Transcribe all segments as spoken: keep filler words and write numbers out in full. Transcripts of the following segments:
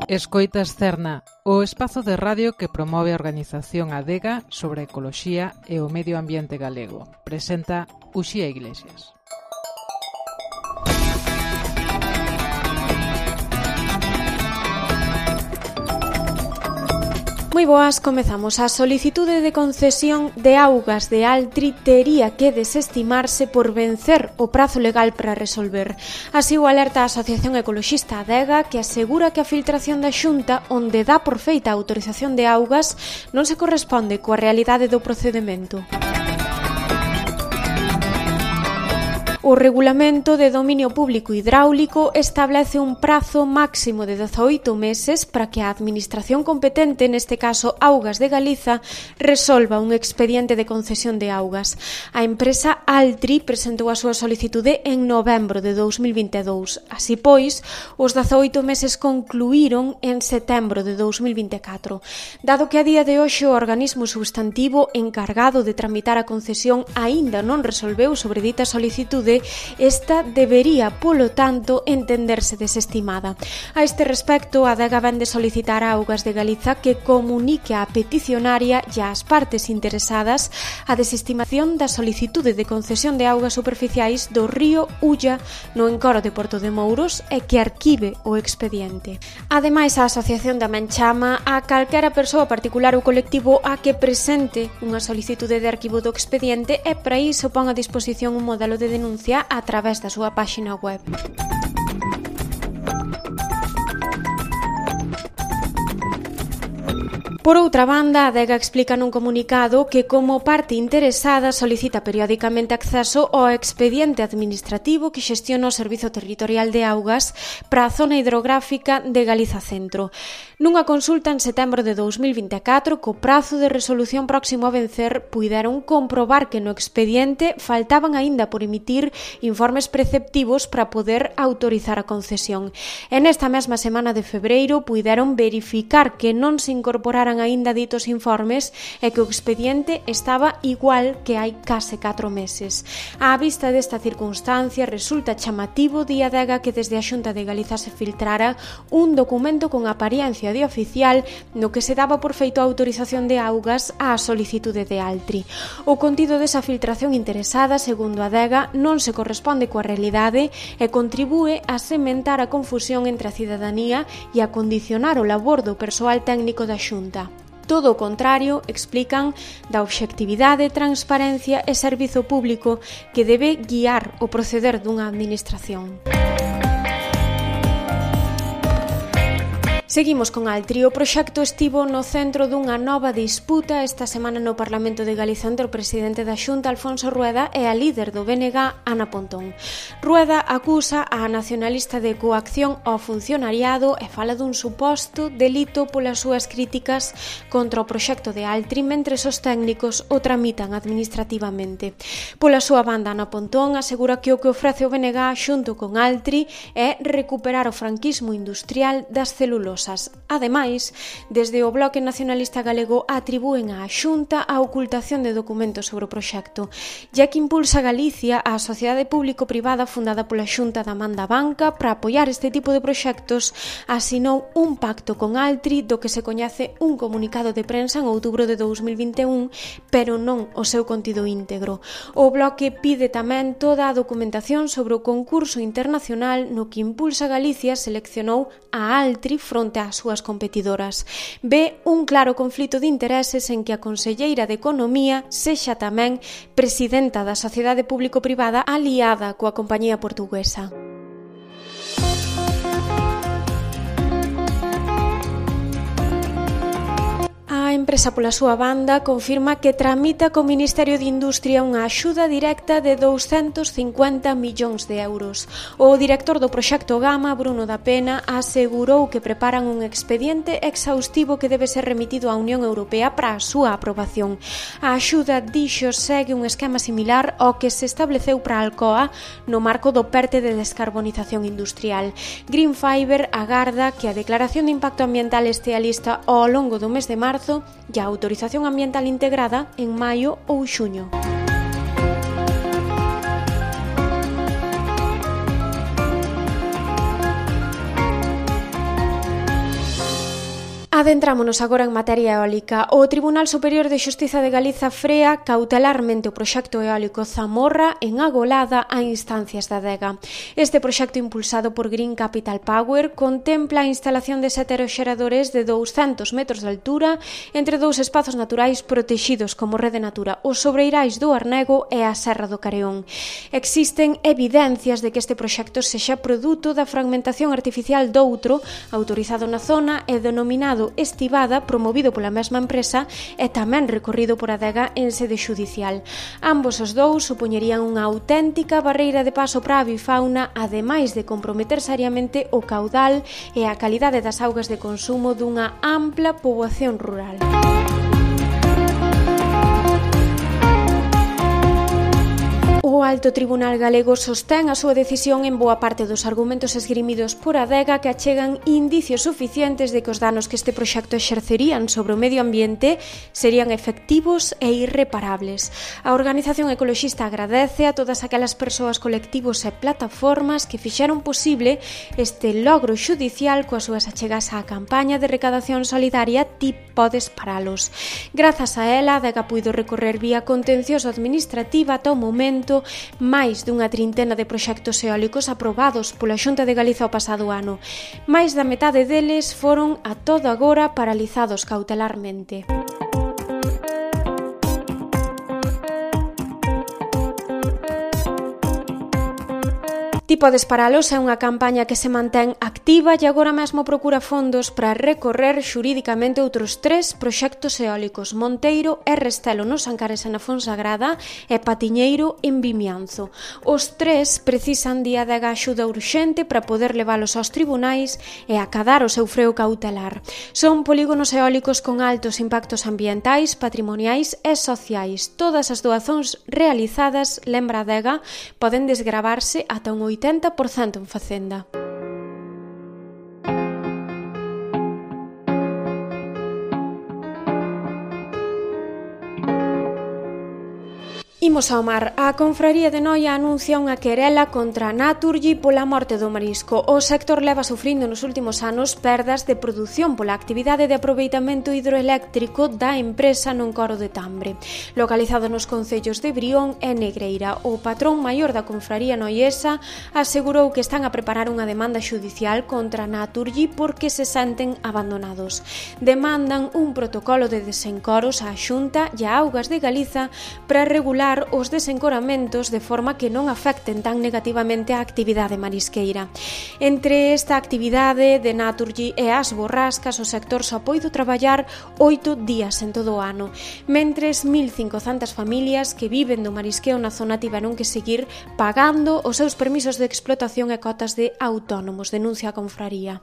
Escoitas Cerna, o espazo de radio que promove a organización Adega sobre a ecoloxía e o medio ambiente galego. Presenta Uxía Iglesias. Moi boas, comezamos. A solicitude de concesión de augas de Altri tería que desestimarse por vencer o prazo legal para resolver. Así o alerta a Asociación Ecoloxista Adega, que asegura que a filtración da Xunta, onde dá por feita a autorización de augas, non se corresponde coa realidade do procedemento. O Regulamento de Dominio Público Hidráulico establece un prazo máximo de dezaoito meses para que a Administración competente, neste caso Augas de Galiza, resolva un expediente de concesión de augas. A empresa Altri presentou a súa solicitude en novembro de dous mil vinte e dous. Así pois, os dezaoito meses concluíron en setembro de dous mil vinte e catro. Dado que a día de hoxe o organismo substantivo encargado de tramitar a concesión aínda non resolveu sobre dita solicitude, esta debería, polo tanto, entenderse desestimada. A este respecto, a Adega vén de solicitar a Augas de Galiza que comunique á peticionaria e ás partes interesadas a desestimación da solicitude de concesión de augas superficiais do río Ulla no encoro de Porto de Mouros e que arquive o expediente. Ademais, a asociación tamén chama a calquera persoa particular ou colectivo a que presente unha solicitude de arquivo do expediente e para iso pon a disposición un modelo de denuncia a través da súa páxina web. Por outra banda, a Adega explica nun comunicado que como parte interesada solicita periódicamente acceso ao expediente administrativo que xestiona o Servizo Territorial de Augas para a zona hidrográfica de Galiza Centro. Nunha consulta en setembro de dous mil vinte e catro, co prazo de resolución próximo a vencer, puideron comprobar que no expediente faltaban aínda por emitir informes preceptivos para poder autorizar a concesión. En esta mesma semana de febreiro, puideron verificar que non se incorporaran aínda ditos informes e que o expediente estaba igual que hai case catro meses. Á vista desta circunstancia, resulta chamativo di Adega que desde a Xunta de Galiza se filtrara un documento con apariencia de oficial no que se daba por feito a autorización de augas á solicitude de Altri. O contido desa filtración interesada, segundo Adega, non se corresponde coa realidade e contribúe a sementar a confusión entre a cidadanía e a condicionar o labor do persoal técnico da Xunta. Todo o contrario, explican, da obxectividade, transparencia e servizo público que debe guiar o proceder dunha administración. Seguimos con Altri. O proxecto estivo no centro dunha nova disputa esta semana no Parlamento de Galiza entre o presidente da Xunta, Alfonso Rueda, e a líder do B N G, Ana Pontón. Rueda acusa a nacionalista de coacción ao funcionariado e fala dun suposto delito polas súas críticas contra o proxecto de Altri mentre os técnicos o tramitan administrativamente. Pola súa banda, Ana Pontón asegura que o que ofrece o B N G xunto con Altri é recuperar o franquismo industrial das celulosas. Ademais, desde o Bloque Nacionalista Galego atribúen á Xunta a ocultación de documentos sobre o proxecto. Ya que Impulsa Galicia, a sociedade público-privada fundada pola Xunta da Man da Banca para apoiar este tipo de proxectos, asinou un pacto con Altri do que se coñece un comunicado de prensa en outubro de dous mil vinte e un, pero non o seu contido íntegro. O Bloque pide tamén toda a documentación sobre o concurso internacional no que Impulsa Galicia seleccionou a Altri fronte ás súas competidoras. Ve un claro conflito de intereses en que a conselleira de Economía sexa tamén presidenta da sociedade público-privada aliada coa compañía portuguesa. A empresa, pola súa banda, confirma que tramita co Ministerio de Industria unha axuda directa de douscentos cincuenta millóns de euros. O director do proxecto Gama, Bruno da Pena, asegurou que preparan un expediente exhaustivo que debe ser remitido á Unión Europea para a súa aprobación. A axuda, dixo, segue un esquema similar ao que se estableceu para a Alcoa no marco do PERTE de descarbonización industrial. Green Fiber agarda que a declaración de impacto ambiental estea lista ao longo do mes de marzo e a autorización ambiental integrada en maio ou xuño. Adentrámonos agora en materia eólica. O Tribunal Superior de Xustiza de Galiza frea cautelarmente o proxecto eólico Zamorra en Agolada a instancias da Adega. Este proxecto impulsado por Green Capital Power contempla a instalación de sete aeroxeradores de douscentos metros de altura entre dous espazos naturais protexidos como Rede Natura, os sobreirais do Arnego e a Serra do Careón. Existen evidencias de que este proxecto sexa produto da fragmentación artificial doutro autorizado na zona e denominado Estivada, promovido pola mesma empresa e tamén recorrido por Adega en sede xudicial. Ambos os dous supoñerían unha auténtica barreira de paso para a avifauna, ademais de comprometer seriamente o caudal e a calidade das augas de consumo dunha ampla poboación rural. O Alto Tribunal Galego sostén a súa decisión en boa parte dos argumentos esgrimidos por Adega que achegan indicios suficientes de que os danos que este proxecto exercerían sobre o medio ambiente serían efectivos e irreparables. A organización ecoloxista agradece a todas aquelas persoas, colectivos e plataformas que fixeron posible este logro xudicial coas súas achegas á campaña de recadación solidaria Ti podes paralos. Grazas a ela, Adega puido recorrer vía contencioso administrativa ata o momento máis dunha trintena de proxectos eólicos aprobados pola Xunta de Galiza o pasado ano. Mais da metade deles foron a todo agora paralizados cautelarmente. Ti podes paralos é unha campaña que se mantén activa e agora mesmo procura fondos para recorrer xurídicamente outros tres proxectos eólicos: Monteiro e Restelo nos Ancares e na Fonsagrada e Patiñeiro en Vimianzo. Os tres precisan de Adega axuda urxente para poder leválos aos tribunais e acadar o seu freo cautelar. Son polígonos eólicos con altos impactos ambientais, patrimoniais e sociais. Todas as doazóns realizadas, lembra Adega, poden desgravarse ata un oitenta por cento en Facenda. Imos ao mar. A Confraría de Noia anuncia unha querela contra a Naturgy pola morte do marisco. O sector leva sufrindo nos últimos anos perdas de produción pola actividade de aproveitamento hidroeléctrico da empresa non Coro de Tambre. Localizado nos concellos de Brión e Negreira, o patrón maior da Confraría noiesa asegurou que están a preparar unha demanda xudicial contra a Naturgy porque se senten abandonados. Demandan un protocolo de desencoros á Xunta e a Augas de Galiza para regular os desencoramentos de forma que non afecten tan negativamente a actividade marisqueira. Entre esta actividade de Naturgy e as borrascas, o sector só poido traballar oito días en todo o ano, mentres mil cincocentas familias que viven do marisqueo na zona tiveron que seguir pagando os seus permisos de explotación e cotas de autónomos, denuncia a Confraría.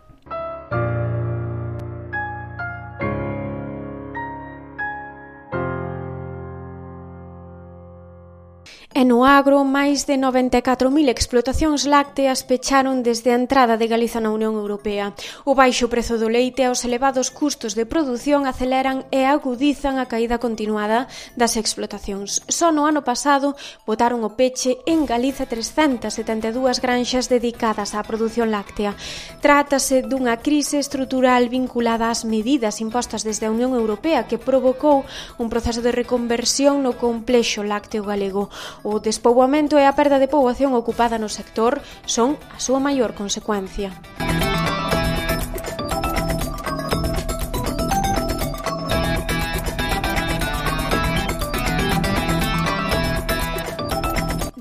E no agro, máis de noventa e catro mil explotacións lácteas pecharon desde a entrada de Galiza na Unión Europea. O baixo prezo do leite e os elevados custos de produción aceleran e agudizan a caída continuada das explotacións. Só no ano pasado botaron o peche en Galiza trescentas setenta e dúas granxas dedicadas á produción láctea. Trátase dunha crise estrutural vinculada ás medidas impostas desde a Unión Europea que provocou un proceso de reconversión no complexo lácteo galego. O despoboamento e a perda de poboación ocupada no sector son a súa maior consecuencia.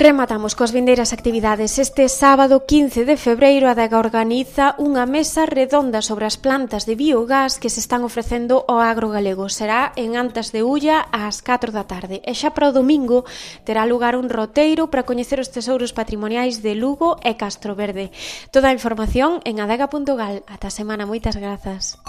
Rematamos coas vindeiras actividades. Este sábado quince de febreiro a Adega organiza unha mesa redonda sobre as plantas de biogás que se están ofrecendo ao agro galego. Será en Antas de Ulla ás catro da tarde. E xa para o domingo terá lugar un roteiro para coñecer os tesouros patrimoniais de Lugo e Castroverde. Toda a información en adega punto gal. Ata a semana, moitas grazas.